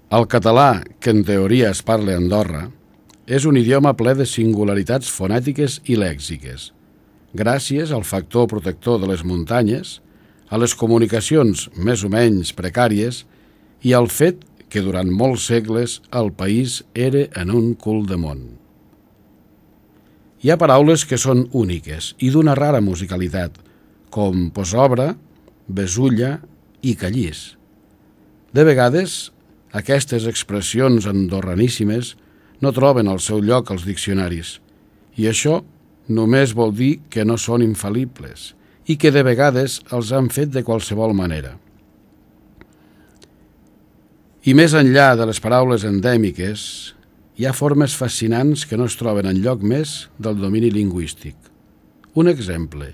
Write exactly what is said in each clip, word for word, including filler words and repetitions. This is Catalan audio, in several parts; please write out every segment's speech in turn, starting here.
El català, que en teoria es parla a Andorra, és un idioma ple de singularitats fonètiques i lèxiques, gràcies al factor protector de les muntanyes, a les comunicacions més o menys precàries i al fet que durant molts segles el país era en un cul de món. Hi ha paraules que són úniques i d'una rara musicalitat, com posobra, besulla i callís. De vegades, aquestes expressions andorraníssimes no troben el seu lloc als diccionaris, i això només vol dir que no són infal·libles i que de vegades els han fet de qualsevol manera. I més enllà de les paraules endèmiques, hi ha formes fascinants que no es troben enlloc més del domini lingüístic. Un exemple,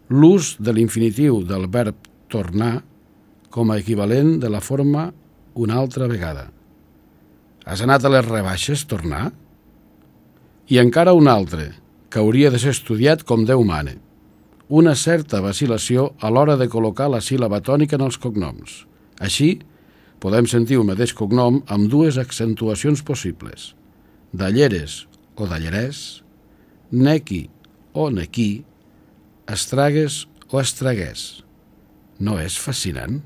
l'ús de l'infinitiu del verb tornar com a equivalent de la forma una altra vegada. Has anat a les rebaixes, tornar? I encara un altre, que hauria de ser estudiat com Déu mana. Una certa vacil·lació a l'hora de col·locar la síl·laba tònica en els cognoms. Així, podem sentir un mateix cognom amb dues accentuacions possibles. Dalleres o dallerès, nequi o nequí, estragues o estraguès. No és fascinant?